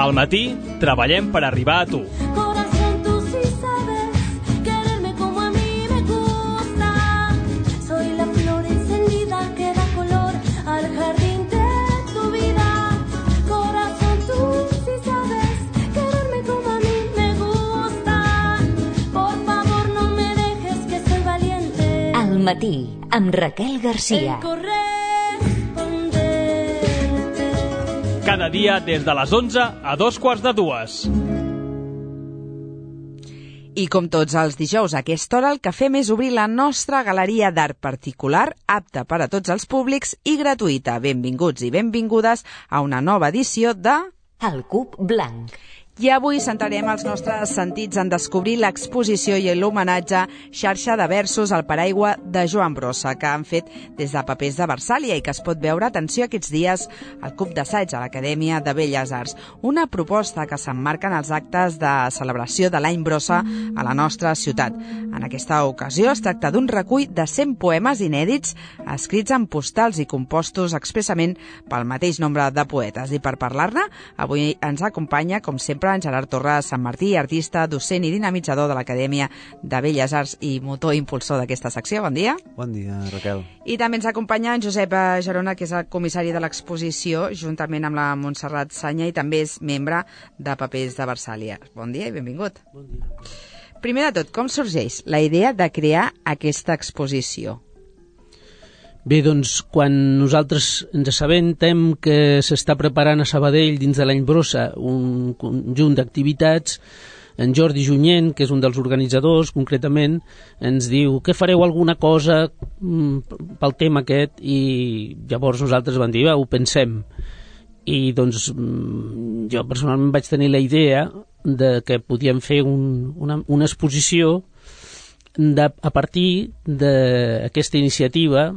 Al matí treballem per arribar a tu. Corazón, tú sí sabes quererme como a mí me gusta. Soy la flor encendida que da color al jardín de tu vida. Corazón, tú sí sabes quererme como a mí me gusta. Por favor, no me dejes que soy valiente. Al matí, amb Raquel Garcia. Cada dia des de les 11 a 2:45. I com tots els dijous a aquesta hora, el que fem és obrir la nostra galeria d'art particular, apta per a tots els públics i gratuïta. Benvinguts i benvingudes a una nova edició de... El Cub Blanc. I avui centrarem els nostres sentits en descobrir l'exposició i l'homenatge Xarxa de versos al paraigua de Joan Brossa, que han fet des de Papers de Versàlia i que es pot veure, atenció, aquests dies al Club d'Assaig a l'Acadèmia de Belles Arts. Una proposta que s'emmarca en els actes de celebració de l'any Brossa a la nostra ciutat. En aquesta ocasió es tracta d'un recull de 100 poemes inèdits escrits en postals i compostos expressament pel mateix nombre de poetes. I per parlar-ne, avui ens acompanya, com sempre, en Gerard Torres Sant Martí, artista, docent i dinamitzador de l'Acadèmia de Belles Arts i motor impulsor d'aquesta secció. Bon dia. Bon dia, Raquel. I també ens acompanya en Josep Gerona, que és el comissari de l'exposició, juntament amb la Montserrat Sanya, i també és membre de Papers de Versàlia. Bon dia i benvingut. Bon dia. Primer de tot, com sorgeix la idea de crear aquesta exposició? Bé, doncs, quan nosaltres ens assabentem que s'està preparant a Sabadell dins de l'any Brossa un conjunt d'activitats, en Jordi Junyent, que és un dels organitzadors, concretament, ens diu que fareu alguna cosa pel tema aquest, i llavors nosaltres vam dir, ho pensem. I doncs jo personalment vaig tenir la idea de que podíem fer una exposició a partir d'aquesta iniciativa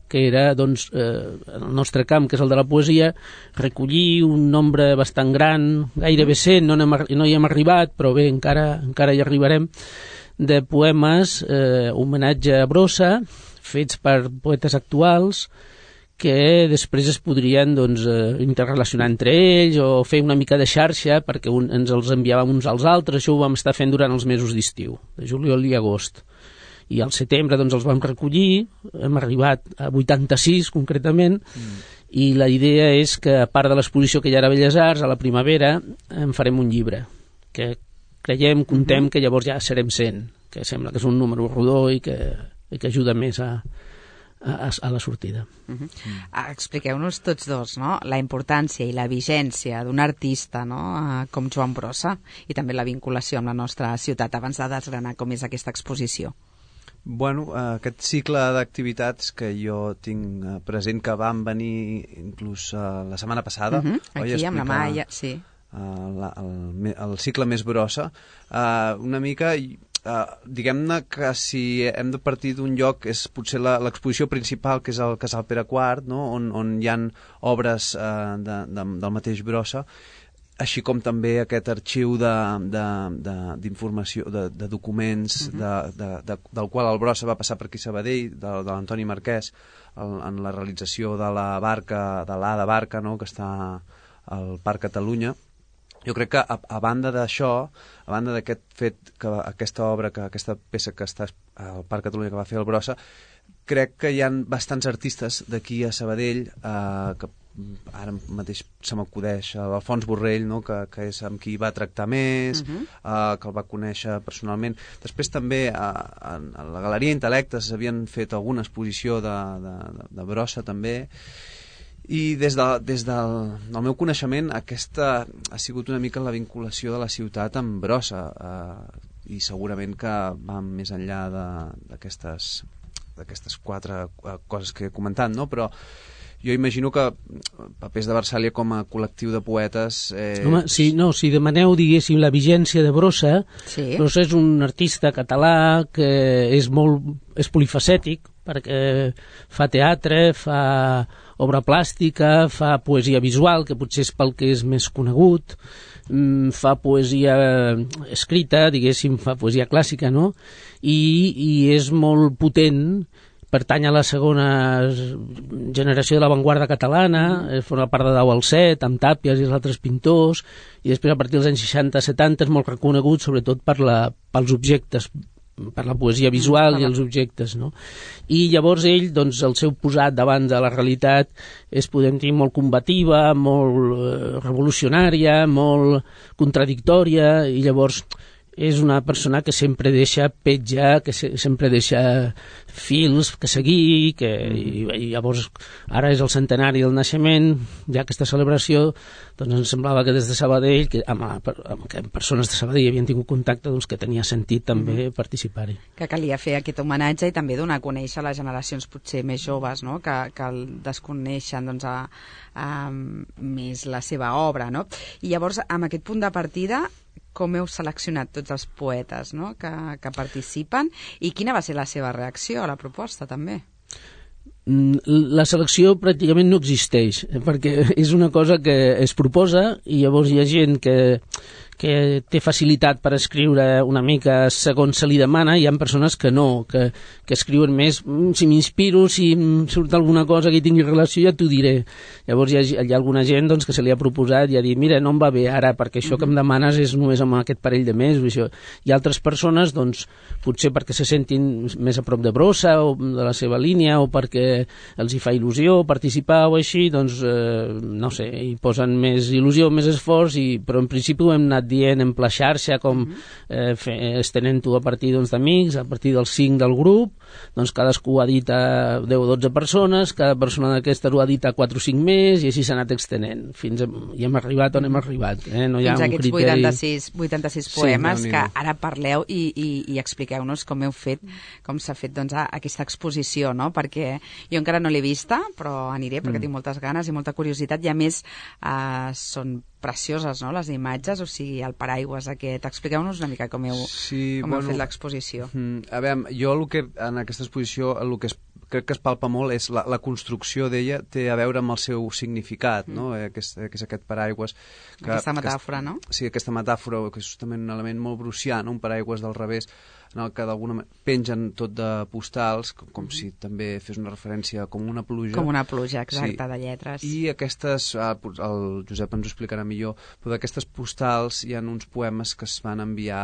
que era doncs, el nostre camp, que és el de la poesia, recollir un nombre bastant gran, gairebé 100, no hi hem arribat, però bé, encara hi arribarem, de poemes, homenatge a Brossa, fets per poetes actuals, que després es podrien doncs, interrelacionar entre ells o fer una mica de xarxa perquè ens els enviàvem uns als altres. Això ho vam estar fent durant els mesos d'estiu, de juliol i agost. I al setembre doncs, els vam recollir, hem arribat a 86 concretament, i la idea és que, a part de l'exposició que hi ha a Belles Arts, a la primavera en farem un llibre, que creiem, contem que llavors ja serem 100, que sembla que és un número rodó i que ajuda més a la sortida. Expliqueu-nos tots dos, no?, la importància i la vigència d'un artista, no?, com Joan Brossa, i també la vinculació amb la nostra ciutat, abans de desgranar com és aquesta exposició. Bueno, aquest cicle d'activitats que jo tinc present, que van venir inclús la setmana passada, aquí amb la Maia, sí, el cicle més Brossa, una mica... diguem-ne que si hem de partir d'un lloc és potser l'exposició principal, que és el Casal Pere IV, no? on hi ha obres del mateix Brossa, així com també aquest arxiu d'informació, de documents, del qual el Brossa va passar per aquí a Sabadell, de l'Antoni Marquès, en la realització de la barca, de l'A de Barca, no? Que està al Parc Catalunya. Jo crec que a banda d'això, a banda d'aquest fet, que aquesta obra, que aquesta peça que està al Parc Catalunya que va fer el Brossa, crec que hi ha bastants artistes d'aquí a Sabadell, que ara mateix se m'acudeix l'Alfons Borrell, no? que és amb qui va tractar més, que el va conèixer personalment. Després també a la Galeria Intel·lectes s'havien fet alguna exposició de Brossa també. I des del meu coneixement, aquesta ha sigut una mica la vinculació de la ciutat amb Brossa, i segurament que va més enllà d'aquestes 4 coses que he comentat, no? Però jo imagino que Papers de Versàlia com a col·lectiu de poetes... Home, si demaneu, diguéssim, la vigència de Brossa, Brossa és un artista català que és polifacètic, perquè fa teatre, fa obra plàstica, fa poesia visual, que potser és pel que és més conegut, fa poesia escrita, diguéssim, fa poesia clàssica, no? I és molt potent pertany a la segona generació de l'avantguarda catalana, forma part de Dau al Set, amb Tàpies i els altres pintors, i després a partir dels anys 60-70 és molt reconegut sobretot pels objectes, per la poesia visual i els objectes, no? I llavors ell, doncs, el seu posat davant de la realitat és, podem dir, molt combativa, molt revolucionària, molt contradictòria, i llavors és una persona que sempre deixa petja, que sempre deixa fils que seguir, i llavors ara és el centenari del naixement, ja aquesta celebració, doncs ens semblava que des de Sabadell, que amb persones de Sabadell havien tingut contacte, doncs que tenia sentit també participar-hi. Que calia fer aquest homenatge i també donar a conèixer les generacions potser més joves, no? que desconeixen doncs, més la seva obra, no? I llavors, amb aquest punt de partida, com heu seleccionat tots els poetes, no? que participen, i quina va ser la seva reacció a la proposta, també? La selecció pràcticament no existeix, perquè és una cosa que es proposa i llavors hi ha gent que té facilitat per escriure una mica segons se li demana, i hi ha persones que no, que escriuen més, si m'inspiro, si em surt alguna cosa que hi tingui relació, ja t'ho diré. Llavors hi ha alguna gent doncs, que se li ha proposat i ha dit, mira, no em va bé ara, perquè això que em demanes és només amb aquest parell de mesos. Això. I altres persones, doncs, potser perquè se sentin més a prop de Brossa o de la seva línia, o perquè els hi fa il·lusió participar o així, doncs, no sé, hi posen més il·lusió, més esforç, però en principi ho hem anat dient en pla xarxa, com estenent-ho a partir d'amics, a partir dels 5 del grup, doncs cadascú ha dit a 10 o 12 persones, cada persona d'aquestes ho ha dit a 4 o 5 més, i així s'ha anat extenent. I hem arribat on hem arribat. No hi ha fins un aquests criteri... 86 poemes, que ara parleu i expliqueu-nos com heu fet, com s'ha fet doncs, aquesta exposició, no? Perquè jo encara no l'he vista, però aniré perquè tinc moltes ganes i molta curiositat, i a més són precioses, no?, les imatges, o sigui, el paraigües aquest. Expliqueu-nos una mica com heu fet l'exposició. A veure, jo en aquesta exposició crec que es palpa molt és la construcció d'ella, té a veure amb el seu significat, no? Que és aquest paraigües. Aquesta metàfora, no? Sí, aquesta metàfora, que és justament un element molt brucià, no? Un paraigües del revés, en el que d'alguna manera pengen tot de postals, com si també fes una referència com una pluja. Com una pluja, exacte, de lletres. I aquestes, el Josep ens ho explicarà millor, però d'aquestes postals hi ha uns poemes que es van enviar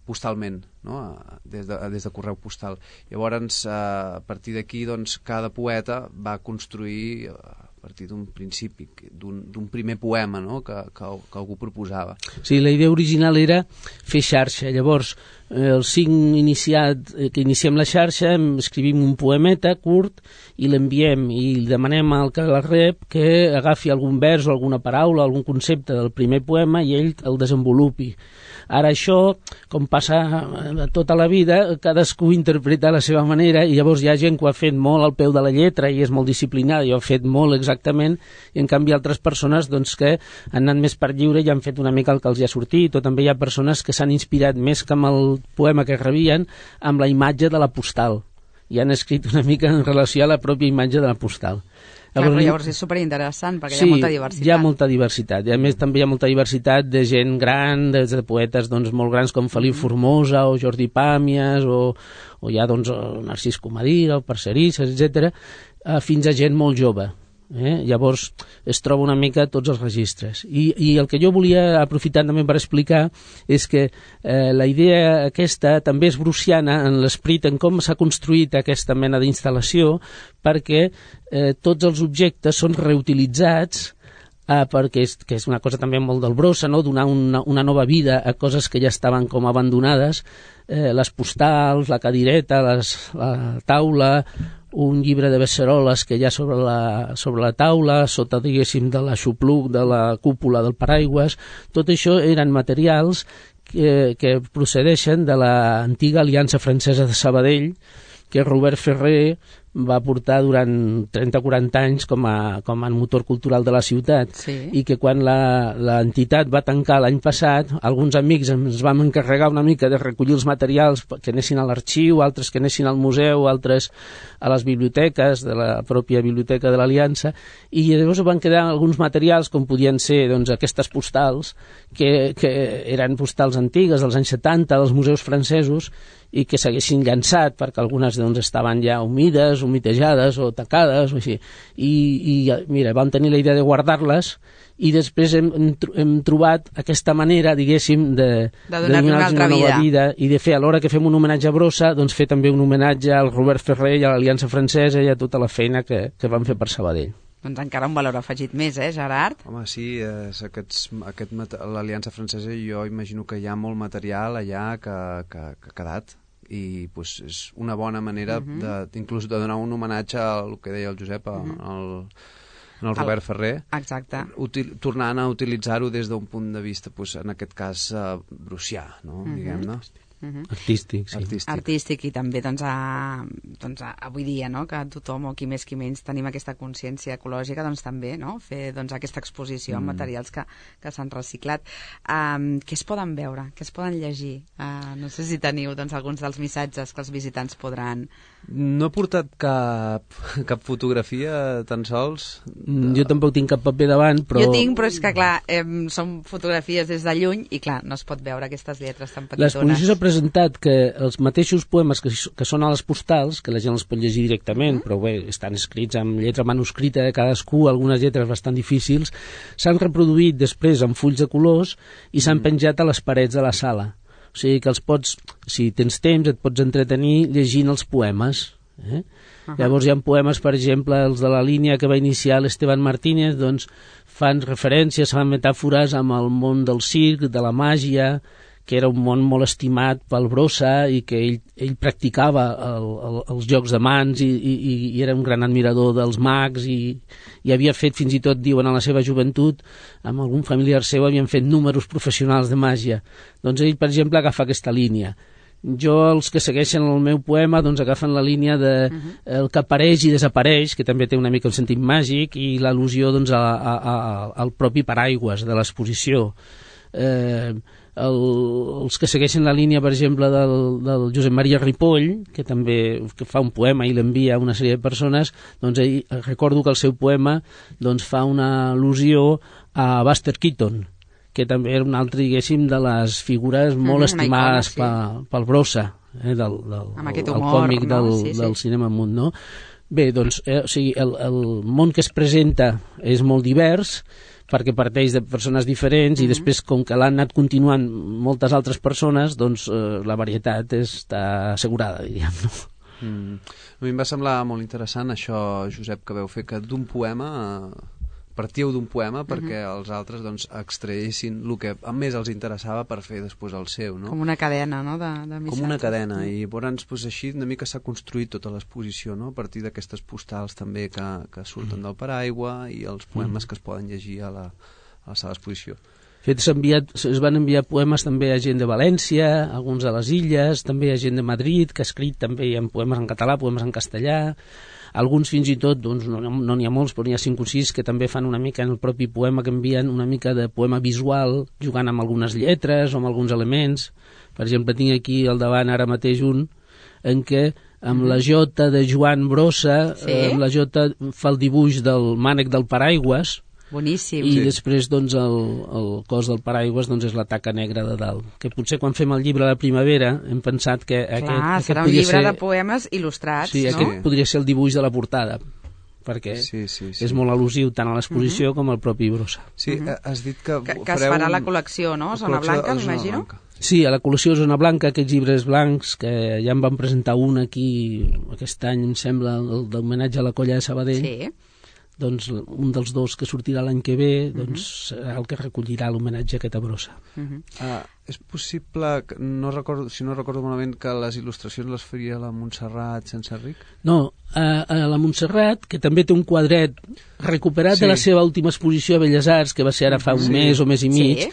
postalment, no? des de correu postal. Llavors, a partir d'aquí, doncs, cada poeta va construir a partir d'un principi, d'un primer poema, no?, que algú proposava. Sí, la idea original era fer xarxa. Llavors, els 5 que iniciem la xarxa, escrivim un poemeta curt i l'enviem, i demanem al que la rep que agafi algun vers o alguna paraula, algun concepte del primer poema, i ell el desenvolupi. Ara això, com passa tota la vida, cadascú interpreta a la seva manera, i llavors hi ha gent que ho ha fet molt al peu de la lletra i és molt disciplinada i ho ha fet molt exactament, i en canvi altres persones doncs, que han anat més per lliure i han fet una mica el que els hi ha sortit, o també hi ha persones que s'han inspirat més que amb el poema que rebien amb la imatge de la postal, i han escrit una mica en relació a la pròpia imatge de la postal. Llavors és superinteressant, perquè hi ha molta diversitat. Sí, hi ha molta diversitat. I a més també hi ha molta diversitat de gent gran, de poetes doncs, molt grans com Felip Formosa o Jordi Pàmies, o hi ha doncs, Narcís Comadira, o Parcerisses, etc., fins a gent molt jove. Llavors es troba una mica tots els registres, i el que jo volia aprofitar també per explicar és que la idea aquesta també és bruciana en l'esperit, en com s'ha construït aquesta mena d'instal·lació, perquè tots els objectes són reutilitzats, perquè és una cosa també molt del Brossa, no? Donar una nova vida a coses que ja estaven com abandonades, les postals, la cadireta, la taula, un llibre de beceroles que hi ha sobre la taula, sota, diguéssim, de l'aixopluc, de la cúpula del paraigües. Tot això eren materials que procedeixen de l'antiga Aliança Francesa de Sabadell, que Robert Ferrer va portar durant 30-40 anys com a motor cultural de la ciutat, sí. I que quan l'entitat va tancar l'any passat, alguns amics ens vam encarregar una mica de recollir els materials que anessin a l'arxiu, altres que anessin al museu, altres a les biblioteques de la pròpia biblioteca de l'Aliança, i llavors van quedar alguns materials com podien ser doncs, aquestes postals que eren postals antigues dels anys 70 dels museus francesos, i que s'haguessin llançat, perquè algunes doncs, estaven ja humides, humitejades o tacades, o així. I mira, vam tenir la idea de guardar-les i després hem trobat aquesta manera, diguéssim, de donar-los una nova vida i de fer, alhora que fem un homenatge a Brossa, doncs fer també un homenatge al Robert Ferrer i a l'Aliança Francesa i a tota la feina que van fer per Sabadell. Doncs encara un valor afegit més, Gerard? Home, sí, l'Aliança Francesa jo imagino que hi ha molt material allà que ha quedat i pues, és una bona manera inclús de donar un homenatge al que deia el Josep, al Robert Ferrer. Exacte. Tornant a utilitzar-ho des d'un punt de vista, pues, en aquest cas, brucià, no? Diguem-ne. Artístic, sí. Artístic i també avui dia, no? Que tothom o qui més qui menys tenim aquesta consciència ecològica, doncs també, no? Fer aquesta exposició amb materials que s'han reciclat. Què es poden veure? Què es poden llegir? No sé si teniu alguns dels missatges que els visitants podran... No he portat cap fotografia tan sols. Jo tampoc tinc cap paper davant, però... Jo tinc, però és que clar, són fotografies des de lluny i clar, no es pot veure aquestes lletres tan petitones. L'exposició s'ha presentat que els mateixos poemes que són a les postals, que la gent els pot llegir directament, però bé, estan escrits amb lletra manuscrita de cadascú, algunes lletres bastant difícils, s'han reproduït després en fulls de colors i s'han penjat a les parets de la sala. O sigui que els pots, si tens temps, et pots entretenir llegint els poemes. Llavors hi ha poemes, per exemple, els de la línia que va iniciar l'Esteban Martínez, doncs fan referències, fan metàfores amb el món del circ, de la màgia, que era un món molt estimat pel Brossa i que ell practicava els jocs de mans i era un gran admirador dels mags i havia fet, fins i tot diuen a la seva joventut, amb algun familiar seu havien fet números professionals de màgia. Doncs ell, per exemple, agafa aquesta línia. Jo, els que segueixen el meu poema, doncs agafen la línia de el que apareix i desapareix, que també té una mica el sentit màgic, i l'al·lusió doncs, al propi paraigües de l'exposició. Els que segueixen la línia, per exemple, del Josep Maria Ripoll, que també fa un poema i l'envia a una sèrie de persones, doncs recordo que el seu poema doncs, fa una al·lusió a Buster Keaton, que també era un altre, diguéssim, de les figures molt estimades pel Brossa, del còmic del cinema mut, no? Bé, doncs, el món que es presenta és molt divers, perquè parteix de persones diferents i després, com que l'han anat continuant moltes altres persones, doncs la varietat està assegurada, diríem, no? A mi em va semblar molt interessant això, Josep, que veu fer que d'un poema partíeu d'un poema perquè els altres doncs, extraïssin el que més els interessava per fer després el seu, no? Com una cadena, no?, de missatges. Com una cadena, i llavors doncs, així una mica s'ha construït tota l'exposició, no?, a partir d'aquestes postals també que surten del paraigua i els poemes que es poden llegir a la sala d'exposició. De fet, es van enviar poemes també a gent de València, alguns a les Illes, també a gent de Madrid, que ha escrit també en poemes en català, poemes en castellà, alguns fins i tot, doncs, no n'hi ha molts, però n'hi ha 5 o 6 que també fan una mica en el propi poema, que envien una mica de poema visual, jugant amb algunes lletres o amb alguns elements. Per exemple, tinc aquí al davant ara mateix un en què amb la jota de Joan Brossa, amb la jota fa el dibuix del mànec del paraigües. Boníssim. I després doncs, el cos del paraigües doncs, és la taca negra de dalt, que potser quan fem el llibre de la primavera hem pensat que aquest serà un llibre de poemes il·lustrats, no? Aquest podria ser el dibuix de la portada, perquè és molt al·lusiu tant a l'exposició com al propi Brossa. Sí, has dit que es farà la col·lecció, no? Zona Blanca, m'imagino? Sí, a la col·lecció Zona Blanca, aquests llibres blancs, que ja en van presentar un aquí aquest any, em sembla, d'homenatge a la colla de Sabadell. Sí. Doncs un dels dos que sortirà l'any que ve doncs serà el que recollirà l'homenatge a aquesta Brossa. És possible, si no recordo malament, que les il·lustracions les faria la Montserrat Senserric? No, a la Montserrat, que també té un quadret recuperat de la seva última exposició a Belles Arts, que va ser ara fa un mes o mes i mig,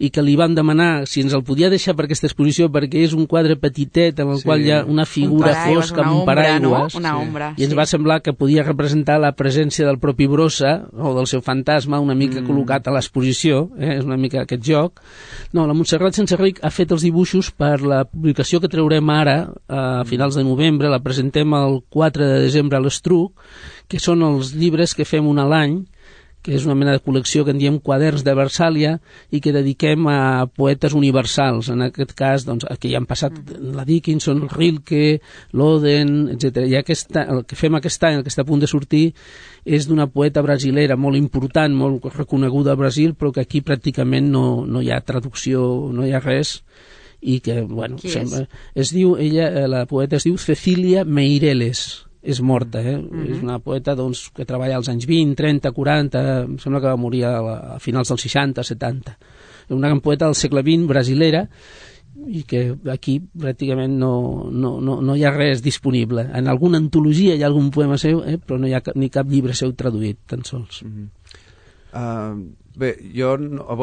i que li van demanar si ens el podia deixar per aquesta exposició, perquè és un quadre petitet en el qual hi ha una figura fosca amb un paraigües, i ens va semblar que podia representar la presència del propi Brossa o del seu fantasma una mica col·locat a l'exposició, és una mica aquest joc. No, la Montserrat Senserric ha fet els dibuixos per la publicació que traurem ara a finals de novembre, la presentem el 4 de desembre a l'Estruc, que són els llibres que fem un a l'any, que és una mena de col·lecció que en diem Quaderns de Versàlia i que dediquem a poetes universals. En aquest cas, doncs, que ja han passat la Dickinson, Rilke, l'Oden, etc. I el que fem aquest any, el que està a punt de sortir, és d'una poeta brasilera molt important, molt reconeguda al Brasil, però que aquí pràcticament no hi ha traducció, no hi ha res, i que, bueno, la poeta es diu Cecília Meireles. És morta, és una poeta doncs, que treballa als anys 20, 30, 40, em sembla que va morir a finals dels 60, 70. És una gran poeta del segle XX brasilera i que aquí pràcticament no hi ha res disponible. En alguna antologia hi ha algun poema seu, però no hi ha ni cap llibre seu traduït, tan sols. Bé, jo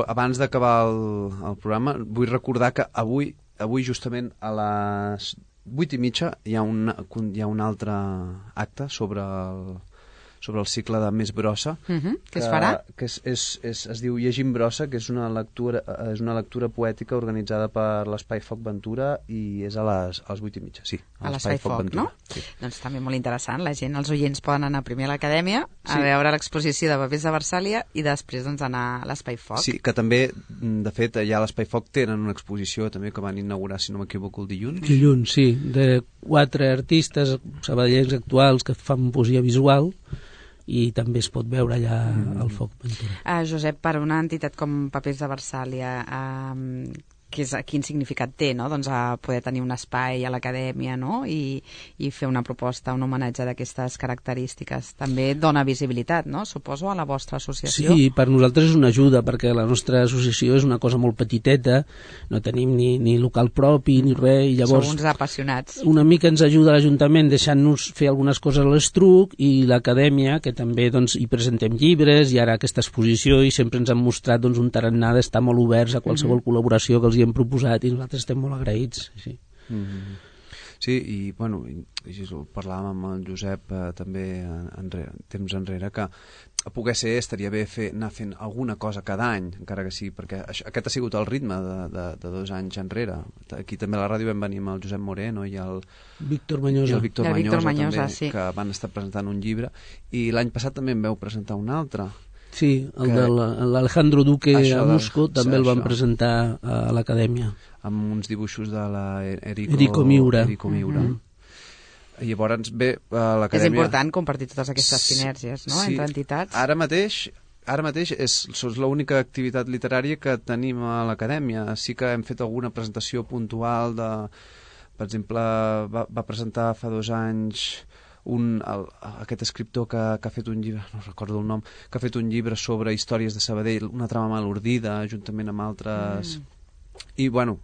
abans d'acabar el programa vull recordar que avui justament a les 8:30 hi ha un altre acte sobre el cicle de Més brossa, que es farà? Que es diu Llegim brossa, que és una lectura poètica organitzada per l'Espai Foc Ventura i és a les 8:30, sí. A l'Espai Foc, no? Sí. Doncs també molt interessant, la gent, els oients poden anar primer a l'Acadèmia a veure l'exposició de papers de Versàlia i després doncs anar a l'Espai Foc. Sí, que també, de fet, allà a l'Espai Foc tenen una exposició també que van inaugurar, si no m'equivoco, el dilluns. Dilluns, sí, de 4 artistes sabadellencs actuals que fan poesia visual i també es pot veure allà al Foc Ventura. Josep, per una entitat com Papers de Versàlia, quin significat té, no? Doncs poder tenir un espai a l'Acadèmia, no? I fer una proposta, un homenatge d'aquestes característiques. També dona visibilitat, no? Suposo, a la vostra associació. Sí, per nosaltres és una ajuda, perquè la nostra associació és una cosa molt petiteta, no tenim ni local propi ni res, i llavors... Sou uns apassionats. Una mica ens ajuda l'Ajuntament deixant-nos fer algunes coses a l'Estruc i l'Acadèmia, que també doncs, hi presentem llibres, i ara aquesta exposició, i sempre ens han mostrat doncs, un tarannà d'estar molt oberts a qualsevol col·laboració que els hi hem proposat i nosaltres estem molt agraïts. Sí, sí, i bueno, parlàvem amb el Josep també temps enrere, que a poder ser estaria bé anar fent alguna cosa cada any, encara que sí, perquè aquest ha sigut el ritme de 2 anys enrere. Aquí també a la ràdio vam venir amb el Josep Moreno i el Víctor Manyosa, també, sí, que van estar presentant un llibre, i l'any passat també en vau presentar un altre. Sí, el de l'Alejandro Duque a Musco també el van presentar a l'Acadèmia. Amb uns dibuixos de Erico Miura. Llavors, bé, a l'Acadèmia... És important compartir totes aquestes sinergies, no?, sí, entre entitats. Ara mateix és l'única activitat literària que tenim a l'Acadèmia. Sí que hem fet alguna presentació puntual per exemple, va presentar fa 2 anys aquest escriptor que ha fet un llibre, no recordo el nom, que ha fet un llibre sobre històries de Sabadell, una trama mal ordida, juntament amb altres... I, bueno,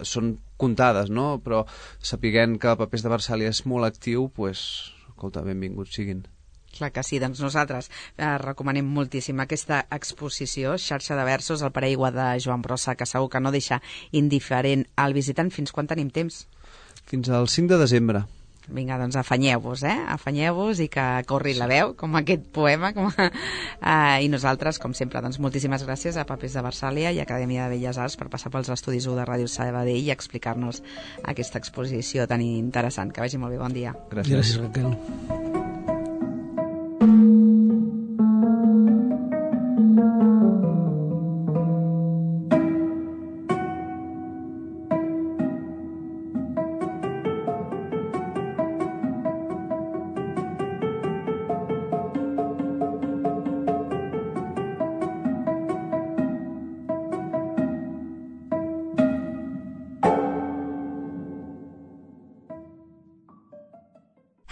són comptades, no? Però sapiguent que Papers de Versàlia és molt actiu, doncs, escolta, benvinguts siguin. Clar que sí, doncs nosaltres recomanem moltíssim aquesta exposició, Xarxa de versos, el paraigua de Joan Brossa, que segur que no deixa indiferent al visitant. Fins quan tenim temps? Fins al 5 de desembre. Vinga, doncs afanyeu-vos, afanyeu-vos i que corri la veu, com aquest poema. I nosaltres, com sempre, doncs moltíssimes gràcies a Papers de Versàlia i Acadèmia de Belles Arts per passar pels estudis 1 de Ràdio Sabadell i explicar-nos aquesta exposició tan interessant. Que vagi molt bé, bon dia. Gràcies, Raquel.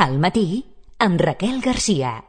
Al matí, amb Raquel Garcia.